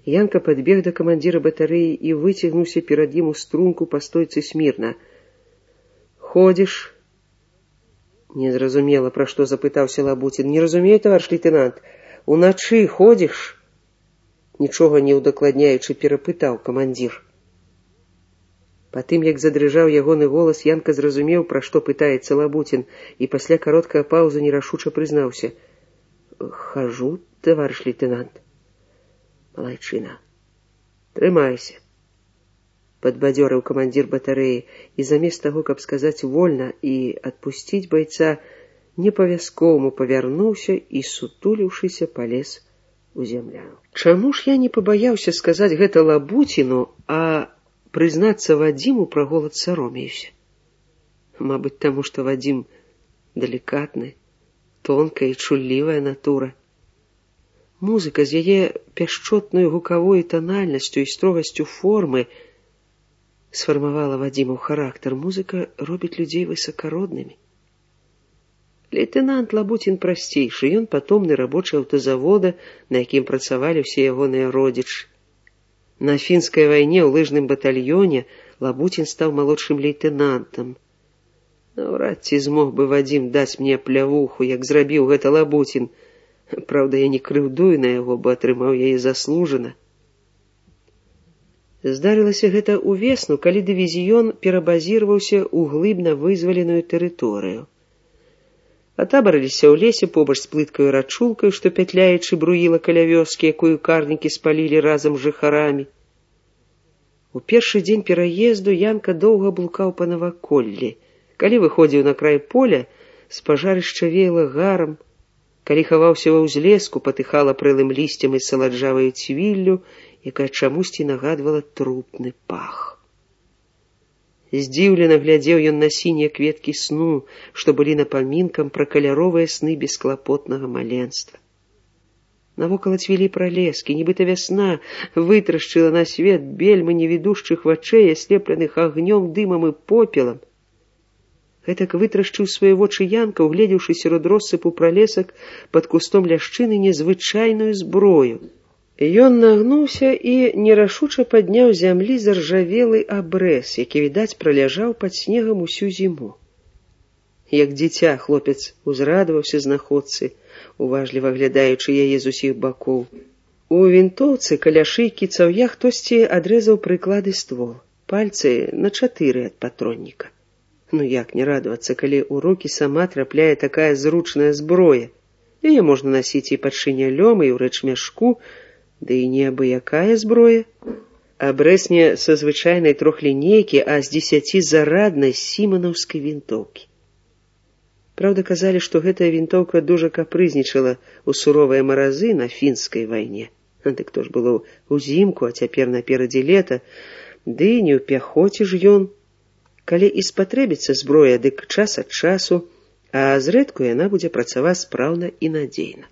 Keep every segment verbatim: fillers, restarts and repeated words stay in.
Янка подбег до командира батареи и вытягнулся перед ім у струнку по стойцы смирно. «Ходишь?» Незразумела, про что запытаўся Лабутин. «Не разумею, товарищ лейтенант. Уначы ходишь?» Нічога не удакладняючы перапытаў камандзір. Потым, як задрыжаў ягоны голас, Янка зразумеў, пра што пытаецца Лабутин, і пасля кароткага паўзы нерашуча прызнаўся. «Хожу, товарищ лейтенант». «Малайчына. Трымайся», — падбадзёрыў камандзір батарэі, і замест таго, каб сказаць вольна і адпусціць байца, непавязковаму павярнуўся і, сутуліўшыся, палез у зямляну. Чаму ж я не пабаяўся сказаць гэта Лабутину, а прызнацца Вадзіму пра голад саромеюся? Мабыць, таму, што Вадзім далікатны, тонкая і чуллівая натура. Музыка з яе пяшчотнай гукавой танальнасцю і строгасцю формы сфармавала Вадзімаў характар. Музыка робіць людзей высакароднымі. Лейтенант Лабутин прасцейшы, ён патомны рабочы аўтазавода, на якім працавалі ўсе ягоныя родзічы. На фінскай вайне ў лыжным батальёне Лабутин стаў малодшым лейтенантам. Наўрад ці змог бы Вадзім даць мне плявуху, як зрабіў гэта Лабутин. Праўда, я не крыўдую на яго, бо атрымаў яе заслужана. Здарылася гэта ўвесну, калі дывізіён перабазіраваўся ў глыбна вызваленую тэрыторыю. Атабарыліся ў лесе побач з плыткаю рачулкаю, што пятляючы бруіла каля вёскі, якую карнікі спалілі разам з жыхарамі. У першы дзень пераезду Янка доўга блукаў па наваколлі. Калі выходзіў на край поля, з пажарышча веяла гарам. Калі хаваўся ва ўзлеску, патыхала прэлым лісцем і саладжаваю цвіллю, якая чамусьці нагадвала трупны пах. Здзіўлена глядзеў ён на сінія кветкі сну, што былі напамінкам пра каляровыя сны бесклапотнага маленства. Навокал цвілі пралескі, нібыта вясна вытрашчыла на свет бельмы невідушчых вачэй, аслепленых агнём, дымам і попелам. Гэтак вытрашчыў свае вочы Янка, угледзеўшы сярод россыпу пралесак пад кустом ляшчыны незвычайную зброю. Ён нагнуўся і нерашуча падняў зямлі заржавелы абрэз, які, відаць, праляжаў пад снегам усю зіму. Як дзіця хлопец узрадаваўся знаходцы, уважліва глядаючы яе з усіх бакоў. У вінтоўцы каля шыйкі цаўя хтосьці адрэзаў прыклады ствол, пальцы на чатыры ад патронніка. Ну як не радавацца, калі ў рукі сама трапляе такая зручная зброя. Яе можна насіць і пад шынялём, і ў рэчмяшку, ды і не абы-якая зброя. Абрэз не са звычайнай трохлінейкі, а з дзесяцізараднай сіманаўскай вінтоўкі. Праўда, казалі, што гэтая вінтоўка дужа капрызнічала ў суровыя маразы на фінскай вайне. Дык то ж было ўзімку, а цяпер наперадзе лета, ды не ў пяхоце ж ён. Калі і спатрэбіцца зброя, дык час ад часу, а зрэдку яна будзе працаваць спраўна і надзейна.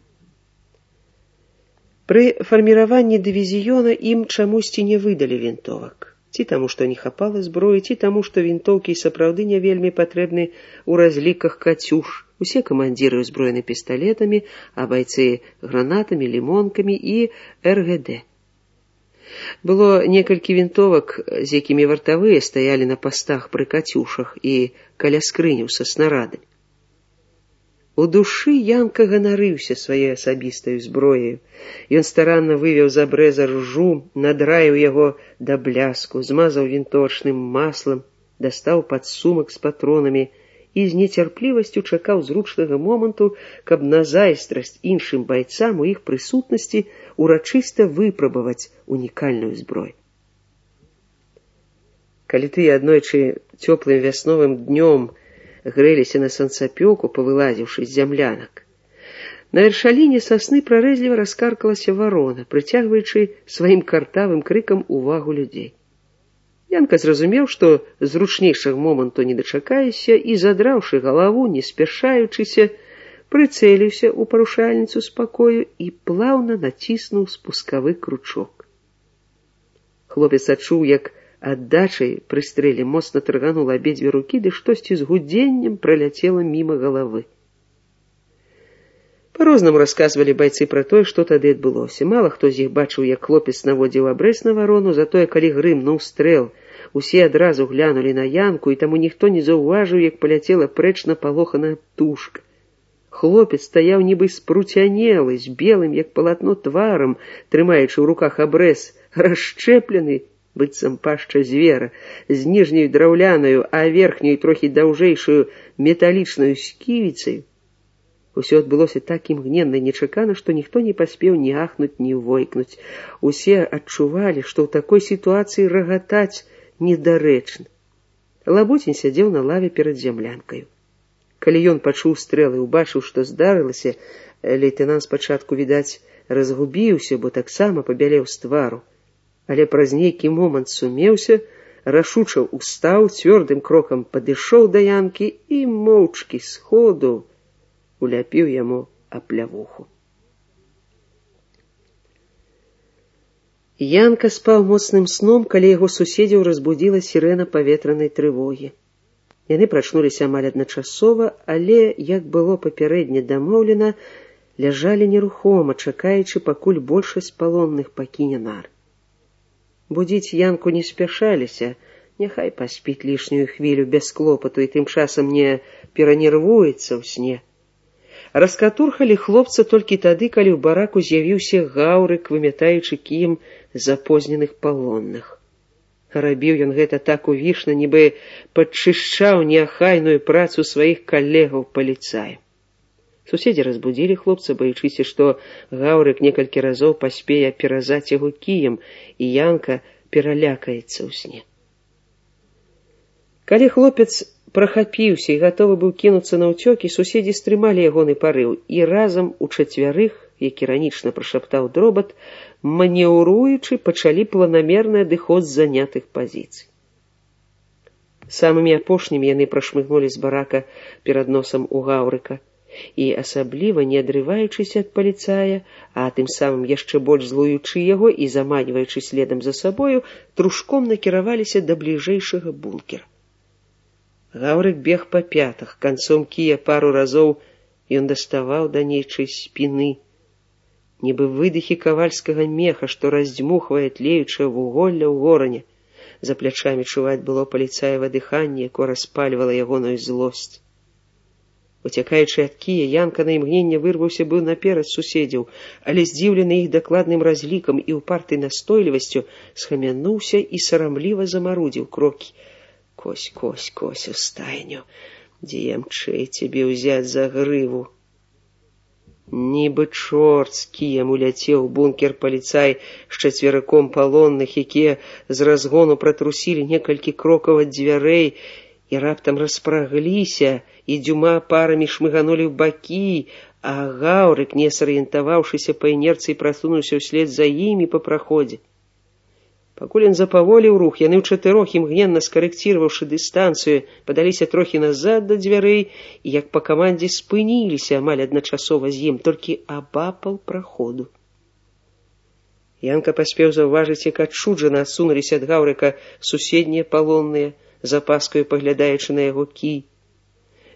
Пры фарміраванні дывізіёна ім чамусьці не выдалі вінтовак. Ці таму, што не хапала зброі, ці таму, што вінтоўкі сапраўды не вельмі патрэбны ў разліках кацюш. Усе камандзіры ўзброены пісталетамі, а байцы гранатамі, лімонкамі і эр гэ дэ. Было некалькі вінтовак, з якімі вартавыя стаялі на пастах пры кацюшах і каля скрыняў са снарадамі. У душы Янка ганарыўся сваёй асабістаю зброяю. Ён старанна вывеў з абрэза ржу, надраіў яго да бляску, змазаў вінтовачным маслам, дастаў падсумак з патронамі і з нецярплівасцю чакаў зручнага моманту, каб на зайздрасць іншым байцам у іх прысутнасці урачыста выпрабаваць унікальную зброю. Калі тыя аднойчы цёплым вясновым днём грэліся на санцапёку, павылазіўшы з зямлянак, на вяршаліне сасны прарэзліва раскаркалася варона, прыцягваючы сваім картавым крыкам увагу людзей. Янка зразумеў, што зручнейшага моманту не дачакаешся, і, задраўшы галаву, не спяшаючыся, прыцэліўся ў парушальніцу спакою і плаўна націснуў спускавы кручок. Хлопец адчуў, як аддачай пры стрэле моцна таргануў абедзве рукі, ды штосьці з гудзеннем праляцела міма галавы. Па-рознаму расказвалі байцы пра тое, што тады адбылося. Мала хто з іх бачыў, як хлопец наводзіў абрэз на варону, затое, калі грымнуў стрэл, усе адразу глянулі на Янку, і таму ніхто не заўважыў, як паляцела прэч напалоханая птушка. Хлопец стаяў нібы спруцянелы, з белым, як палатно, тварам, трымаючы ў руках абрэз, расшчэплены, быццам пашча звера, з ніжняю драўлянаю, а верхняю трохі даўжэйшую металічнаю сківіцаю. Усё адбылося так імгненна і нечакана, што ніхто не паспеў ні ахнуць, ні войкнуць. Усе адчувалі, што ў такой сітуацыі рагатаць недарэчна. Лабутень сядзеў на лаве перад зямлянкаю. Калі ён пачуў стрэлы і убачыў, што здарылася, лейтэнант спачатку, відаць, разгубіўся, бо таксама пабялеў з твару. Але праз нейкі момант сумеўся, рашуча устаў, цвёрдым крокам падышоў да Янкі і моўчкі сходу уляпіў яму аплявуху. Янка спаў моцным сном, калі яго суседзяў разбудзіла сірэна паветранай трывогі. Яны прачнуліся амаль адначасова, але, як было папярэдне дамоўлена, ляжалі нерухома, чакаючы, пакуль большасць палонных пакіне нар. Будзіць Янку не спяшаліся, няхай паспіць лішнюю хвілю без клопату і тым часам не перанервуецца ў сне. Раскатурхалі хлопца толькі тады, калі ў бараку з'явіўся гаўрык, вымятаючы кіем запозненых палонных. Рабіў ён гэта так увішна, нібы падчышчаў неахайную працу сваіх калегаў-паліцаяў. Суседзі разбудзілі хлопца, баючыся, што гаўрык некалькі разоў паспее перазаць яго кіем, і Янка пералякаецца ў сне. Калі хлопец прахапіўся і гатовы быў кінуцца на ўцёкі, суседзі стрымалі ягоны парыў і разам у чацвярых, як іранічна прашаптаў Дробат, манеўруючы, пачалі планамерны адыход з занятых пазіцый. Самымі апошнімі яны прашмыгнулі з барака перад носам у гаўрыка і, асабліва не адрываючыся ад паліцая, а тым самым яшчэ больш злуючы яго і заманьваючы следам за сабою, трушком накіраваліся да бліжэйшага бункера. Гаўрык бег па пятах, канцом кія пару разоў ён даставаў да нейчай спіны, нібы выдыхі кавальскага меха, што раздзьмухвае тлеючае вуголля ў горане. За плячамі чуваць было паліцаева дыханне, якое распальвала ягоную злосць. Уцякаючы ад кія, Янка на імгненне вырваўся быў наперад суседзяў, але, здзіўлены іх дакладным разлікам і ўпартай настойлівасцю, схамянуўся і сарамліва замарудзіў крокі. Кось, кось, кось у стайню, дзе ямчэй цябе ўзяць за грыву. Нібы чорт з кіем уляцеў у бункер паліцай з чацверыком палонных, якія з разгону пратрусілі некалькі крокаў ад дзвярэй і раптам распрагліся, і дюма парамі шмыганулі ў бакі, а гаўрык, не сарыентаваўшыся па інерцыі, прасунуўся ўслед за імі па праходзе. Пакуль ён запаволіў рух, яны ўчатырох, імгненна скарэкціраваўшы дыстанцыю, падаліся трохі назад да дзвярэй і, як па камандзе, спыніліся амаль адначасова з ім, толькі абапал праходу. Янка паспеў заўважыць, як адчуджана адсунуліся ад гаўрыка суседнія палонныя, з апаскаю паглядаючы на яго кій.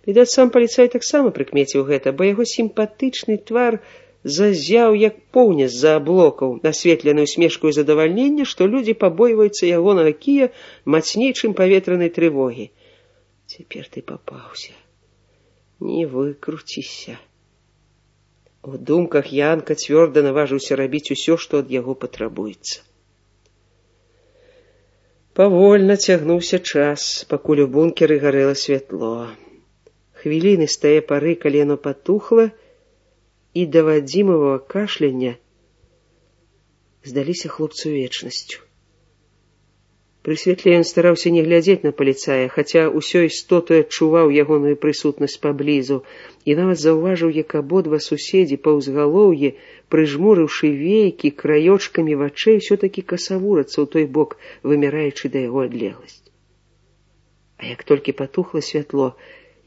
Відаць, сам паліцай таксама прыкмеціў гэта, бо яго сімпатычны твар зазяў, як поўня з-за аблокаў, насветленую усмешкаю задавальнення, што людзі пабойваюцца ягонага кія мацней, чым паветранай трывогі. Цяпер ты папаўся. Не выкруціся. У думках Янка цвёрда наважыўся рабіць усё, што ад яго патрабуецца. Павольна цягнуўся час, пакуль у бункеры гарэла святло. Хвіліны з тае пары, калі яно патухла, і да Вадзімавага кашляня здаліся хлопцу вечнасцю. Пры святле ён стараўся не глядзець на паліцая, хаця ўсёй істотаю адчуваў ягоную прысутнасць паблізу, і нават заўважыў, як абодва суседзі па ўзгалоўі, прыжмурыўшы вейкі, краёчкамі вачэй, усё-такі касавурацца ў той бок, вымяраючы да яго адлегласць. А як толькі патухла святло,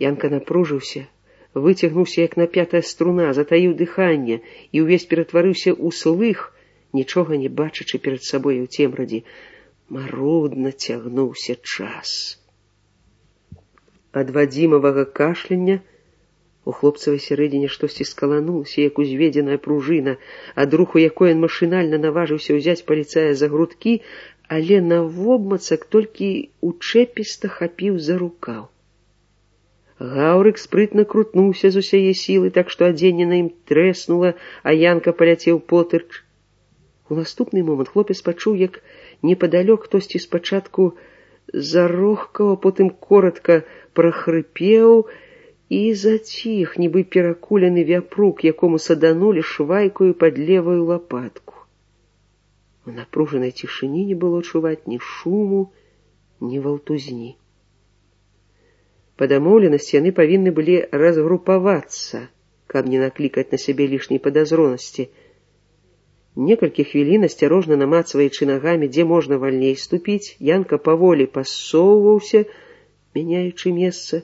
Янка напружыўся, выцягнуўся, як напятая струна, затаіў дыханне і ўвесь ператварыўся ў слых, нічога не бачачы перад сабой у цемрадзе. Марудна цягнуўся час. Ад Вадзімавага кашляня У хлопцавай сярэдзіне штосьці скаланулася, як узведзеная пружына, ад руху якой ён машынальна наважыўся ўзяць паліцая за грудкі, але навобмацак толькі учэпіста хапіў за рукаў. Гаўрык спрытна крутнуўся з усяе сілы, так што адзенне на ім трэснула, а Янка паляцеў потырч. У наступны момант хлопец пачуў, як непадалёк хтосьці спачатку зарохкаў, а потым коротка прахрыпеў і заціх, нібы перакулены вяпрук, якому саданулі швайкаю пад левую лапатку. У напружанай цішыні не было чуваць ні шуму, ні валтузні. Па дамоўленасці яны павінны былі разгрупавацца, каб не наклікаць на сябе лішняй падазронасці. Некалькі хвілін, асцярожна намацваючы нагамі, дзе можна вальней ступіць, Янка паволі пасоўваўся, мяняючы месца.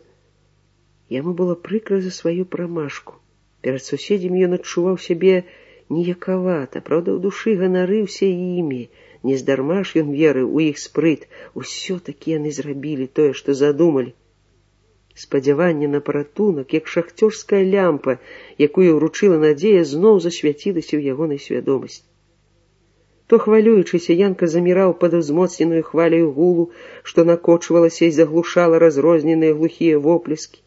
Яму было прыкра за сваю прамашку. Перад суседзямі ён адчуваў сябе ніякавата, праўда, ў душы ганарыўся імі. Нездарма ж ён верыў у іх спрыт. Усё-такі яны зрабілі тое, што задумалі. Спадзяванне на паратунак, як шахцёрская лямпа, якую ўручыла надзея, зноў засвяцілася ў ягонай свядомасці. То хвалюючыся, Янка заміраў пад узмоцненую хваляю гулу, што накочвалася і заглушала разрозненыя глухія воплескі,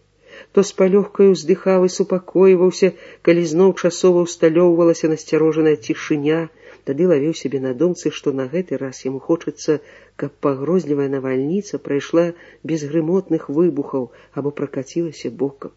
то з палёгкаю ўздыхаў і супакойваўся, калі зноў часова ўсталёўвалася насцярожаная цішыня, тады лавіў сябе на думцы, што на гэты раз яму хочацца, каб пагрозлівая навальніца прайшла без грымотных выбухаў або пракацілася бокам.